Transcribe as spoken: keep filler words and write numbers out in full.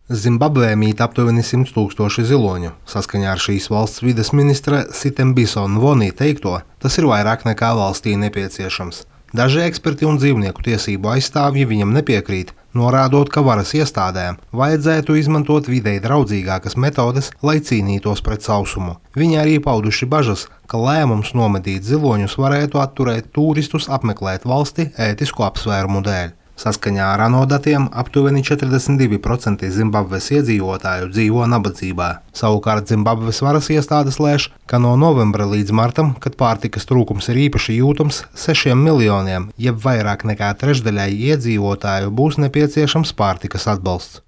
Zimbabvē mīt aptuveni simts tūkstoši ziloņu. Saskaņā ar šīs valsts vides ministra Sitembiso Nvoni teikto, tas ir vairāk nekā valstī nepieciešams. Daži eksperti un dzīvnieku tiesību aizstāvji viņam nepiekrīt, norādot, ka varas iestādēm vajadzētu izmantot videi draudzīgākas metodes, lai cīnītos pret sausumu. Viņi arī pauduši bažas, ka lēmums nomedīt ziloņus varētu atturēt tūristus apmeklēt valsti ētisku apsvērumu dēļ. Saskaņā ar ANO datiem aptuveni četrdesmit divi procenti Zimbabves iedzīvotāju dzīvo nabadzībā. Savukārt Zimbabves varas iestādes lēš, ka no novembra līdz martam, kad pārtikas trūkums ir īpaši jūtams, sešiem miljoniem, jeb vairāk nekā trešdaļai iedzīvotāju būs nepieciešams pārtikas atbalsts.